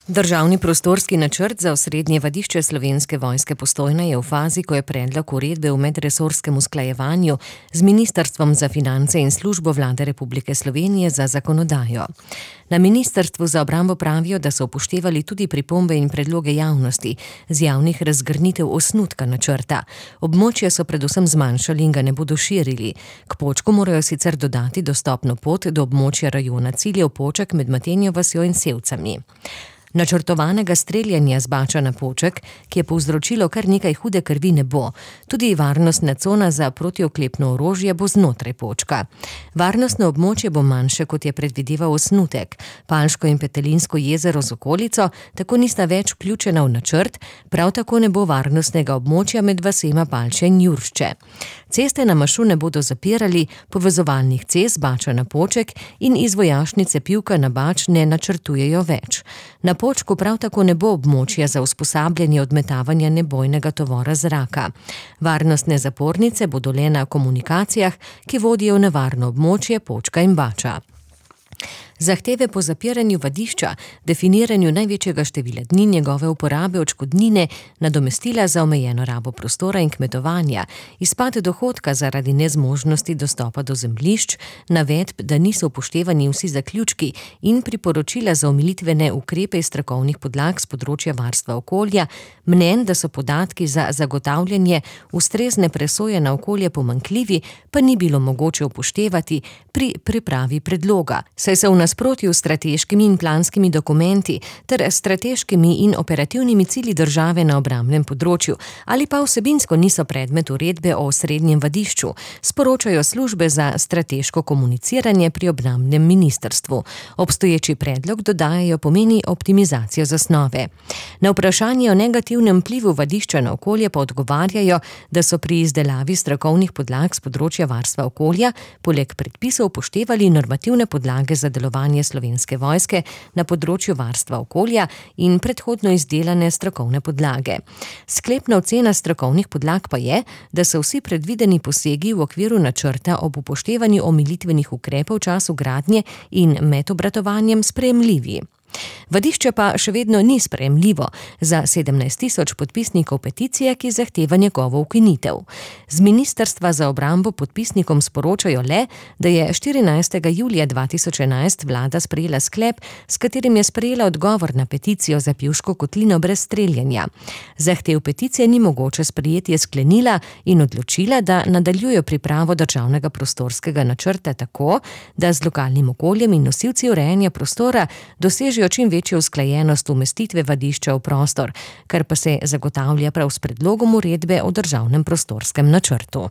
Državni prostorski načrt za osrednje vadišče Slovenske vojske Postojna je v fazi, ko je predlog uredbe v medresorskem usklajevanju z Ministrstvom za finance in Službo Vlade Republike Slovenije za zakonodajo. Na Ministrstvu za obrambo pravijo, da so upoštevali tudi pripombe in predloge javnosti z javnih razgrnitev osnutka načrta. Območje so predvsem zmanjšali in ga ne bodo širili. K Počku morajo sicer dodati dostopno pot do območja rajona ciljev Poček med Matenjo vasjo in Sevcami. Načrtovanega streljanja z Bača na Poček, ki je povzročilo kar nekaj hude krvi, ne bo. Tudi varnostna cona za protioklepno orožje bo znotraj Počka. Varnostno območje bo manjše, kot je predvideval osnutek. Palško in Petelinsko jezero z okolico tako nista več vključena v načrt, prav tako ne bo varnostnega območja med vasema Palče in Juršče. Ceste na mašu ne bodo zapirali, povezovalnih cest Bača na Poček in iz vojašnice Pivka na Bač ne načrtujejo več. Na Počku prav tako ne bo območja za usposabljanje odmetavanja nebojnega tovora zraka. Varnostne zapornice bodo le na komunikacijah, ki vodijo v nevarno območje Počka in Bača. Zahteve po zapiranju vadišča, definiranju največjega števila dni njegove uporabe, odškodnine, nadomestila za omejeno rabo prostora in kmetovanja, izpad dohodka zaradi nezmožnosti dostopa do zemljišč, navedb, da niso upoštevani vsi zaključki in priporočila za omilitvene ukrepe iz strokovnih podlag z področja varstva okolja, mnenj, da so podatki za zagotavljanje ustrezne presoje na okolje pomanjkljivi, pa ni bilo mogoče upoštevati pri pripravi predloga, saj se v nasprotju s strateškimi in planskimi dokumenti ter strateškimi in operativnimi cilji države na obrambnem področju ali pa vsebinsko niso predmet uredbe o osrednjem vadišču, sporočajo službe za strateško komuniciranje pri obrambnem ministrstvu. Obstoječi predlog, dodajajo, pomeni optimizacijo zasnove. Na vprašanje o negativnem vplivu vadišča na okolje pa odgovarjajo, da so pri izdelavi strokovnih podlag z področja varstva okolja poleg predpisov upoštevali normativne podlage za delovanje Slovenske vojske na področju varstva okolja in predhodno izdelane strokovne podlage. Sklepna ocena strokovnih podlag pa je, da so vsi predvideni posegi v okviru načrta ob upoštevanju omilitvenih ukrepov v času gradnje in med obratovanjem sprejemljivi. Vadišče pa še vedno ni sprejemljivo za 17 tisoč podpisnikov peticije, ki zahteva njegovo ukinitev. Z Ministrstva za obrambo podpisnikom sporočajo le, da je 14. julija 2011 vlada sprejela sklep, s katerim je sprejela odgovor na peticijo za Pivško kotlino brez streljanja. Zahtev peticije ni mogoče sprejeti, je sklenila in odločila, da nadaljujejo pripravo državnega prostorskega načrta tako, da z lokalnim okoljem in nosilci urejanja prostora dosežejo čim večjo usklajenost umestitve vadišča v prostor, kar pa se zagotavlja prav s predlogom uredbe o državnem prostorskem načrtu.